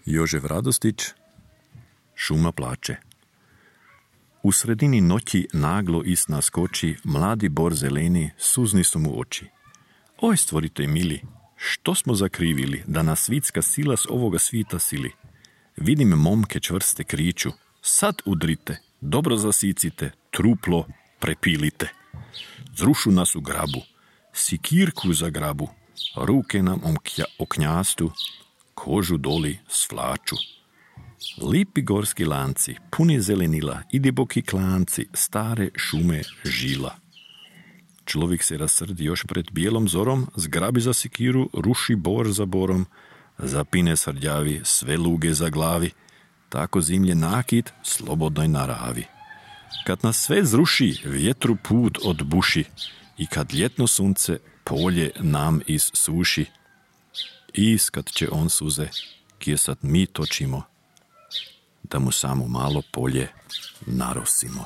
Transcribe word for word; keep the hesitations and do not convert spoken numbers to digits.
Jožef Radostić, Šuma plače. U sredini noći naglo is naskoči mladi bor zeleni, suzni su mu oči. Oj, stvoritelj mili, što smo zakrivili, da nas svitska sila s ovoga svita sili. Vidim momke čvrste kriču, sad udrite, dobro zasicite, truplo prepilite. Zrušu nas u grabu, sikirku za grabu, ruke nam o knjastu, kožu doli svlaču. Lipi gorski lanci, puni zelenila i diboki klanci, stare šume žila. Človek se rasrdi još pred bijelom zorom, zgrabi za sikiru, ruši bor za borom, zapine srđavi, sve luge za glavi, tako zimlje nakit slobodnoj naravi. Kad nas sve zruši, vjetru put odbuši i kad ljetno sunce polje nam issuši, iskat će on suze, kje sad mi točimo, da mu samo malo polje narosimo.